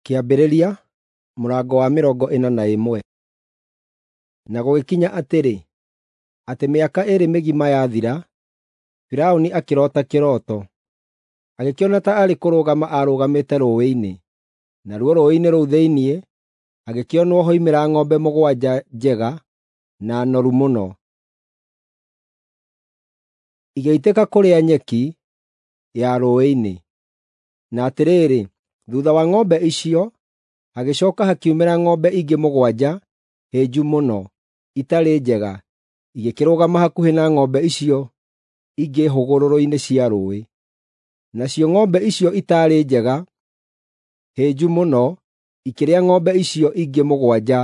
Kĩambĩrĩria mũrango wa 41. Na gũgĩkinya atĩrĩ, atĩ mĩaka ĩĩrĩ mĩgima yathira, Firaũni akĩroota kĩroto. Agĩkĩona ta arĩ kũrũgama aarũgamĩte rũũĩ-inĩ, naruo rũũĩ-inĩ rũu thĩinĩ hagĩkĩonwo hoimĩra ng'ombe mũgwanja njega na noru mũno. Igĩitĩka kũrĩa nyeki ya rũũĩ-inĩ. Na atĩrĩrĩ, thuutha wa ng'ombe icio hagĩcooka hakiumĩra ng'ombe ingĩ mũgwanja hĩnju mũno, itarĩ njega, igĩkĩrũgama hakuhĩ na ng'ombe icio ingĩ hũgũrũrũ-inĩ cia rũũĩ. Nacio ng'ombe icio itaarĩ njega, hĩnju mũno, ikĩrĩa ng'ombe icio ingĩ mũgwanja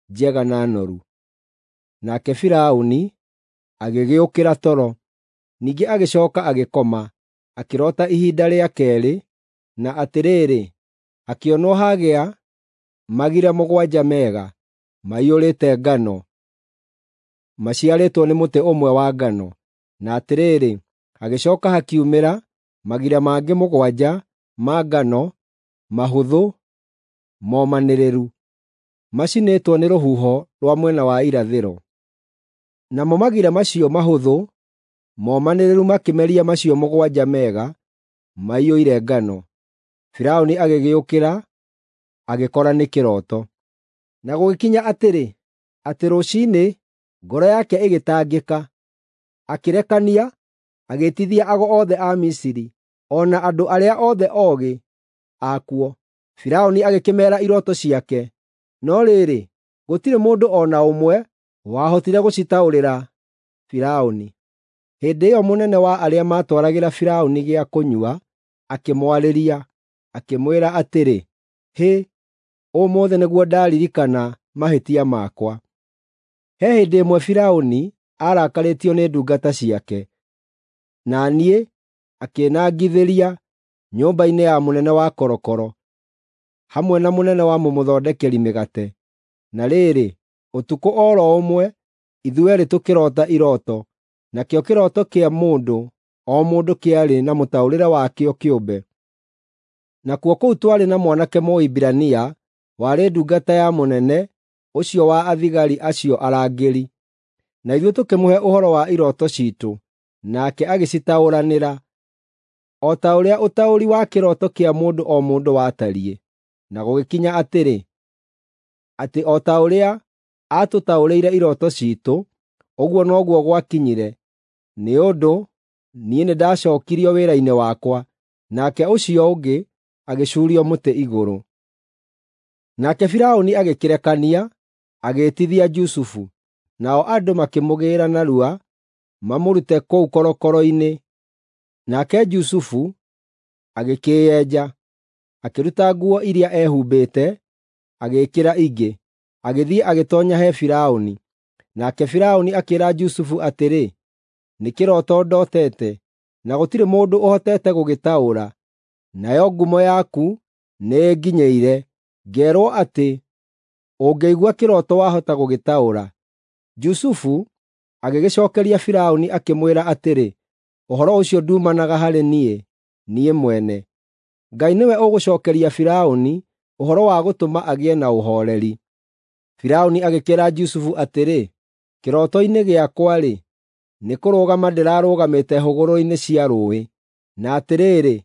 njega na noru. Nake Firaũni agĩgĩũkĩra toro. Ningĩ agĩcooka agĩkoma, akĩroota ihinda rĩa keerĩ, na atĩrĩrĩ, hakĩonwo hagĩa magira mũgwanja mega, maiyũrĩte ngano, maciarĩtwo nĩ mũtĩ ũmwe wa ngano. Na atĩrĩrĩ, hagĩcooka hakiumĩra magira mangĩ mũgwanja ma ngano mahũthũ momanĩrĩru, macinĩtwo nĩ rũhuho rwa mwena wa irathĩro. Namo magira macio mahũthũ momanĩrĩru makĩmeria macio mũgwanja mega maiyũire ngano. Firaũni agĩgĩũkĩra agĩkora nĩ kĩroto. Na gũgĩkinya atĩrĩ, atĩ rũciinĩ ngoro yake ĩgĩtangĩka, akĩrekania, agĩĩtithia ago othe a Misiri, o na andũ arĩa othe oogĩ akuo. Firaũni agĩkĩmeera irooto ciake, no rĩrĩ, gũtirĩ mũndũ o na ũmwe wahotire gũcitaũrĩra Firaũni. Hĩndĩ ĩyo mũnene wa arĩa maatwaragĩra Firaũni gĩa kũnyua akĩmwarĩria, akĩmwĩra atĩrĩ, “Hĩ, ũmũthĩ nĩguo ndaririkana mahĩtia makwa. He hĩndĩ ĩmwe Firaũni aarakarĩtio nĩ ndungata ciake, na niĩ akĩnangithĩria nyũmba-inĩ ya mũnene wa korokoro, hamwe na mũnene wa mũmũthondekeri mĩgate. Na rĩrĩ, ũtukũ o ro ũmwe ithuerĩ tũkĩroota irooto, nakĩo kĩroto kĩa mũndũ o mũndũ kĩarĩ na mũtaũrĩre wakĩo kĩũmbe. Nakuo kũu twarĩ na mwanake Mũhibirania warĩ ndungata ya mũnene ũcio wa athigari acio arangĩri. Na ithuĩ tũkĩmũhe ũhoro wa irooto ciitũ, nake agĩcitaũranĩra, o ta ũrĩa ũtaũri wa kĩroto kĩa mũndũ o mũndũ watariĩ. Na gũgĩkinya atĩrĩ, atĩ o ta ũrĩa aatũtaũrĩire irooto ciitũ, ũguo noguo gwakinyire, nĩ ũndũ niĩ nĩndacookirio wĩra-inĩ wakwa, nake ũcio ũngĩ agĩcuurio mũtĩ igũrũ.” Nake Firaũni agĩkĩrekania, agĩĩtithia Jusufu, nao andũ makĩmũgĩĩra narua mamũrute kũu korokoro-inĩ. Nake Jusufu agĩkĩĩenja, akĩruta nguo iria eehumbĩte, agĩĩkĩra ingĩ, agĩthiĩ agĩtoonya he Firaũni. Nake Firaũni akĩĩra Jusufu atĩrĩ, “Nĩ kĩroto ndootete, na gũtirĩ mũndũ ũhotete gũgĩtaũra. Nayo ngumo yaku nĩĩnginyĩire, ngeerwo atĩ ũngĩigua kĩroto wahota gũgĩtaũra.” Jusufu agĩgĩcookeria Firaũni akĩmwĩra atĩrĩ, “Ũhoro ũcio nduumanaga harĩ niĩ, niĩ mwene. Ngai nĩwe ũgũcookeria Firaũni ũhoro wa gũtũma agĩe na ũhooreri.” Firaũni agĩkĩĩra Jusufu atĩrĩ, “Kĩroto-inĩ gĩakwa-rĩ, nĩkũrũgama ndĩrarũgamĩte hũgũrũrũ-inĩ cia rũũĩ, na atĩrĩrĩ,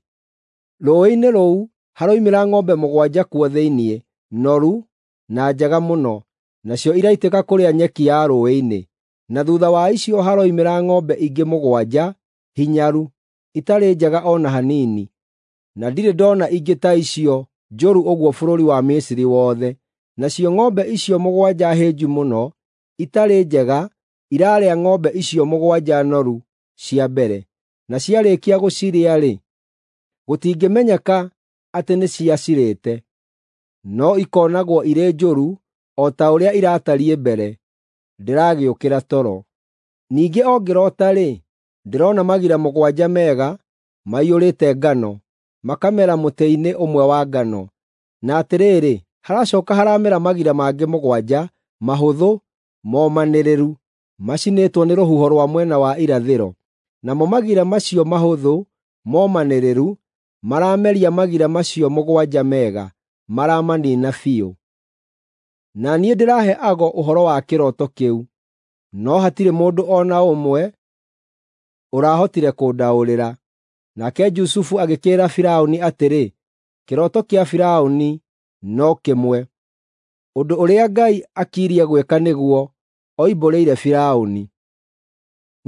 rũũĩ-inĩ rũu haroimĩra ng'ombe mũgwanja kuo thĩinĩ, noru na njega mũno, nacio iraitĩka kũrĩa nyeki ya rũũĩ-inĩ. Na thuutha wa icio haroimĩra ng'ombe ingĩ mũgwanja hinyaru, itarĩ njega o na hanini, na ndirĩ ndoona ingĩ ta icio njũru ũguo bũrũri wa Misiri wothe. Nacio ng'ombe icio mũgwanja hĩnju mũno, itarĩ njega iraarĩa ng'ombe icio mũgwanja noru cia mbere, na ciarĩkia gũcirĩa-rĩ, gũtingĩmenyeka atĩ nĩciacirĩte, no ikoonagwo irĩ njũru o ta ũrĩa iratariĩ mbere. Ndĩragĩũkĩra toro. Ningĩ o ngĩroota-rĩ, ndĩrona magira mũgwanja mega maiyũrĩte ngano, makamera mũtĩ-inĩ ũmwe wa ngano. Na atĩrĩrĩ, haracooka haramera magira mangĩ mũgwanja mahũthũ momanĩrĩru, macinĩtwo nĩ rũhuho rwa mwena wa irathĩro. Namo magira macio mahũthũ momanĩrĩru marameria magira macio mũgwanja mega. maramaniina biũ. Na niĩ ndĩrahe ago ũhoro wa kĩroto kĩu, no hatirĩ mũndũ o na ũmwe ũrahotire kũndaũrĩra. Nake Jusufu agĩkĩĩra Firaũni atĩrĩ, “Kĩroto kĩa Firaũni no kĩmwe. Ũndũ ũrĩa Ngai akirie gwĩka nĩguo oimbũrĩire Firaũni.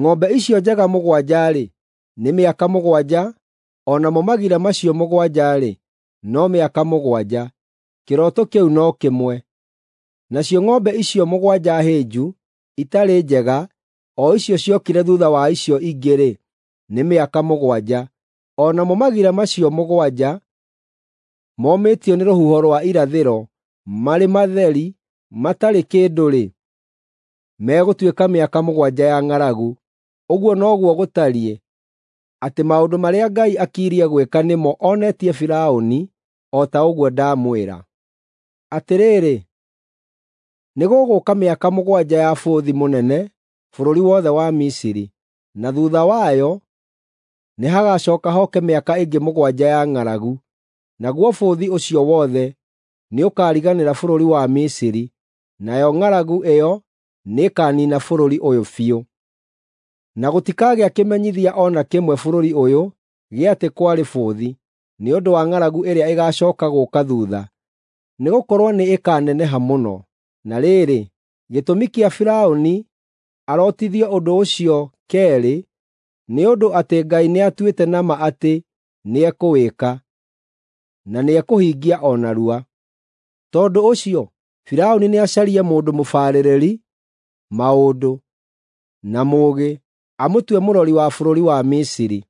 Ng'ombe icio njega mũgwanja-rĩ, nĩ mĩaka 7, o namo magira macio 7-rĩ, no mĩaka 7. Kĩroto kĩu no kĩmwe. Nacio ng'ombe icio 7 hĩnju, itarĩ njega, o icio ciokire thuutha wa icio ingĩ-rĩ, nĩ mĩaka 7. O namo magira macio 7 momĩtio nĩ rũhuho rwa irathĩro, marĩ matheri, matarĩ kĩndũ-rĩ, megũtuĩka mĩaka 7 ya ng'aragu. Ũguo noguo gũtariĩ, atĩ maũndũ marĩa Ngai akirie gwĩka nĩmo onetie Firaũni, o ta ũguo ndamwĩra. Atĩrĩrĩ, nĩgũgũũka mĩaka 7 ya bũthi mũnene bũrũri wothe wa Misiri, na thuutha wayo nĩhagacooka hoke mĩaka ĩngĩ 7 ya ng'aragu. Naguo bũthi ũcio wothe nĩũkariganĩra bũrũri wa Misiri, nayo ng'aragu ĩyo nĩĩkaniina bũrũri ũyũ biũ. Na gũtikagĩa kĩmenyithia o na kĩmwe bũrũri ũyũ gĩa atĩ kwarĩ bũthi, nĩ ũndũ wa ng'aragu ĩrĩa ĩgaacooka gũũka thuutha, nĩgũkorwo nĩĩkaneneha mũno. Na rĩrĩ, gĩtũmi kĩa Firaũni arotithio ũndũ ũcio keerĩ nĩ ũndũ atĩ Ngai nĩatuĩte na ma atĩ nĩekũwĩka, na nĩekũhingia o narua. Tondũ ũcio Firaũni nĩacarie mũndũ mũbarĩrĩri maũndũ na mũũgĩ, amũtue mũrori wa bũrũri wa Misiri.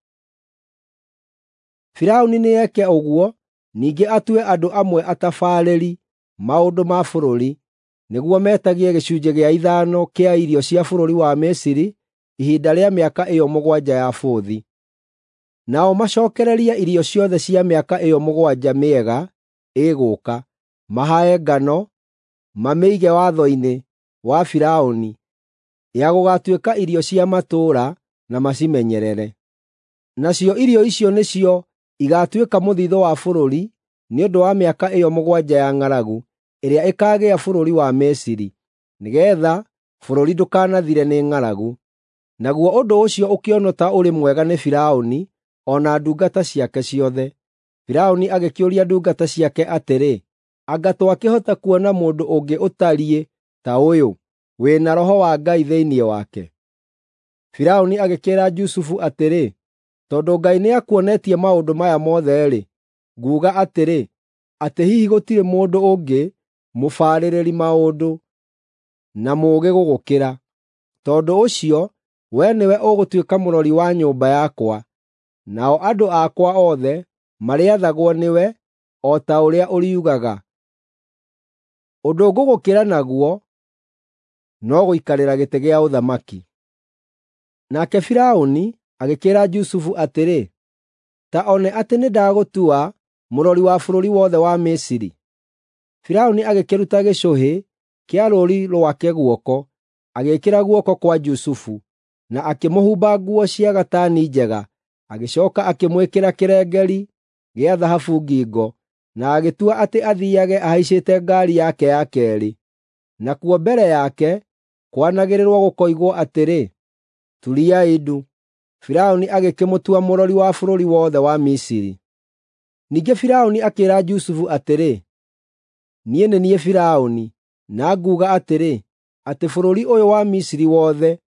Firaũni nĩeke ũguo, ningĩ atue andũ amwe atabarĩri maũndũ ma bũrũri, nĩguo metagie gĩcunjĩ gĩa ithano kĩa irio cia bũrũri wa Misiri ihinda rĩa mĩaka ĩyo 7 ya bũthi. Nao macookererie irio ciothe cia mĩaka ĩyo 7 mĩega ĩgũũka, mahae ngano, mamĩige watho-inĩ wa Firaũni ya gũgaatuĩka irio cia matũũra na macimenyerere. Nacio irio icio nĩcio igaatuĩka mũthithũ wa bũrũri nĩ ũndũ wa mĩaka ĩyo 7 ya ng'aragu ĩrĩa ĩkaagĩa bũrũri wa Misiri, nĩgeetha bũrũri ndũkanathire nĩ ng'aragu. Naguo ũndũ ũcio ũkĩonwo ta ũrĩ mwega nĩ Firaũni o na ndungata ciake ciothe. Firaũni agĩkĩũria ndungata ciake atĩrĩ, “Anga twakĩhota kuona mũndũ ũngĩ ũtariĩ ta ũyũ, wĩ na roho wa Ngai thĩinĩ wake?” Firaũni agĩkĩĩra Jusufu atĩrĩ, “Tondũ Ngai nĩakuonetie maũndũ maya mothe-rĩ, nguuga atĩrĩ, atĩ hihi gũtirĩ mũndũ ũngĩ mũbarĩrĩri maũndũ na mũũgĩ gũgũkĩra. Tondũ ũcio wee nĩwe ũgũtuĩka mũrori wa nyũmba yakwa, nao andũ akwa othe marĩathagwo nĩwe o ta ũrĩa ũriugaga. Ũndũ ngũgũkĩra naguo no gũikarĩra gĩtĩ gĩa ũthamaki.” Nake Firaũni agĩkĩĩra Jusufu atĩrĩ, “Ta one atĩ nĩndagũtua mũrori wa bũrũri wothe wa Misiri.” Firaũni agĩkĩruta gĩcũhĩ kĩa rũũri rwake guoko, agĩĩkĩra guoko kwa Jusufu, na akĩmũhumba nguo cia gatani njega. Agĩcooka akĩmwĩkĩra kĩrengeri gĩa thahabu ngingo, na agĩtua atĩ athiiage ahaicĩte ngaari yake ya keerĩ. Nakuo mbere yake kwanagĩrĩrwo gũkoigwo atĩrĩ, “Turiai ndu!” Firaũni agĩkĩmũtua mũrori wa bũrũri wothe wa Misiri. Ningĩ Firaũni akĩĩra Jusufu atĩrĩ, “Niĩ nĩ niĩ Firaũni, na nguuga atĩrĩ, atĩ bũrũri ũyũ wa Misiri wothe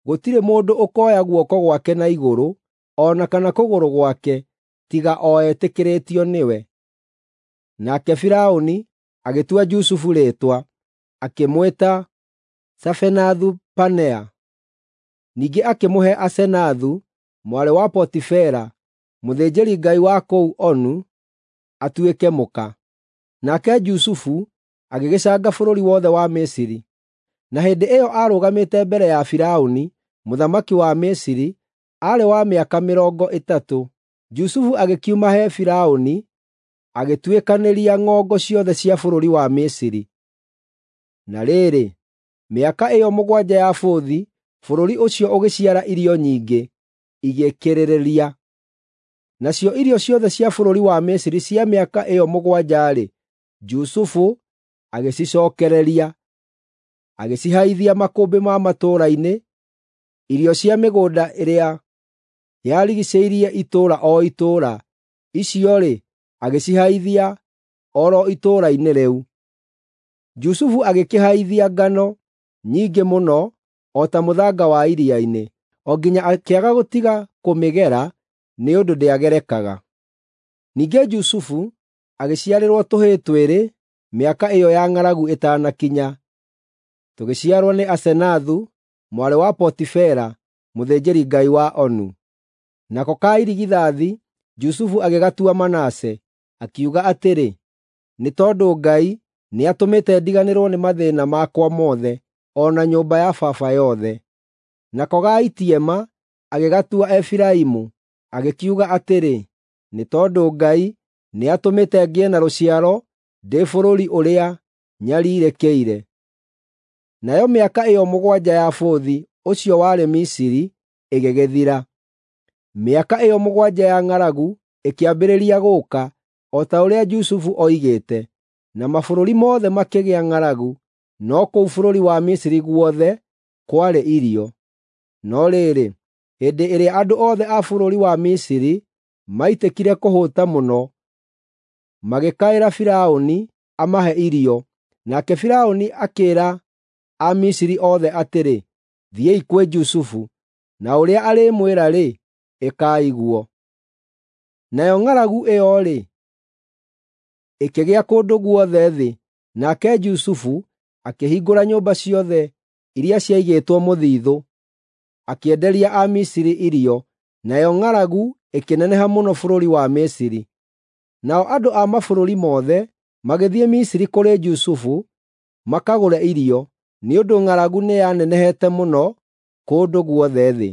gũtirĩ mũndũ ũkoya guoko gwake na igũrũ, o na kana kũgũrũ gwake, tiga o etĩkĩrĩtio nĩwe.” Nake Firaũni agĩtua Jusufu rĩĩtwa, akĩmwĩta Safenathu-Panea. Ningĩ akĩmũhe Asenathu, mwarĩ wa Potifera, mũthĩnjĩri-ngai wa kũu Onu, atuĩke mũka. Nake Jusufu agĩgĩcanga bũrũri wothe wa Misiri. Na hĩndĩ ĩyo aarũgamĩte mbere ya Firaũni, mũthamaki wa Misiri, aarĩ wa mĩaka 30. Jusufu agĩkiuma he Firaũni, agĩtuĩkanĩria ng'ongo ciothe cia bũrũri wa Misiri. Na rĩrĩ, mĩaka ĩyo 7 ya bũthi, bũrũri ũcio ũgĩciara irio nyingĩ, igĩkĩrĩrĩria. Nacio irio ciothe cia bũrũri wa Misiri cia mĩaka ĩyo 7-rĩ, Jusufu agĩcicookereria, agĩcihaithia makũmbĩ ma matũũra-inĩ, irio cia mĩgũnda ĩrĩa yarigiicĩirie itũũra o itũũra, icio-rĩ, agĩcihaithia o ro itũũra-inĩ rĩu. Jusufu agĩkĩhaithia ngano nyingĩ mũno o ta mũthanga wa iria-inĩ, o nginya akĩaga gũtiga kũmĩgera nĩ ũndũ ndĩagerekaga. Ningĩ Jusufu agĩciarĩrwo tũhĩĩ twĩrĩ mĩaka ĩyo ya ng'aragu ĩtanakinya, tũgĩciarwo nĩ Asenathu, mwarĩ wa Potifera, mũthĩnjĩri-ngai wa Onu. Nako ka irigithathi Jusufu agĩgatua Manase, akiuga atĩrĩ, “Nĩ tondũ Ngai nĩatũmĩte ndiganĩrwo nĩ mathĩĩna makwa mothe, o na nyũmba ya baba yothe.” Nako ga itiema agĩgatua Efiraimu, agĩkiuga atĩrĩ, “Nĩ tondũ Ngai nĩatũmĩte ngĩe na rũciaro ndĩ bũrũri ũrĩa nyariirĩkĩire.” Nayo mĩaka ĩyo mũgwanja ya bũthi ũcio warĩ Misiri ĩgĩgĩthira. Mĩaka ĩyo mũgwanja ya ng'aragu ĩkĩambĩrĩria gũũka, o ta ũrĩa Jusufu oigĩte, na mabũrũri mothe makĩgĩa ng'aragu, no kũu bũrũri wa Misiri guothe kwarĩ irio. No rĩrĩ, hĩndĩ ĩrĩa andũ othe a bũrũri wa Misiri maitĩkire kũhũta mũno, magĩkaĩra Firaũni amahe irio, nake Firaũni akĩĩra Amisiri othe atĩrĩ, “Thiĩi kwĩ Jusufu, na ũrĩa arĩmwĩra-rĩ, ĩkai guo.” Nayo ng'aragu ĩyo-rĩ, ĩkĩgĩa kũndũ guothe thĩ, nake Jusufu akĩhingũra nyũmba ciothe iria ciaigĩtwo mũthiithũ, akĩenderia Amisiri irio, nayo ng'aragu ĩkĩneneha mũno bũrũri wa Misiri. Nao andũ a mabũrũri mothe magĩthiĩ Misiri kũrĩ Jusufu makagũre irio, nĩ ũndũ ng'aragu nĩyanenehete mũno kũndũ guothe thĩ.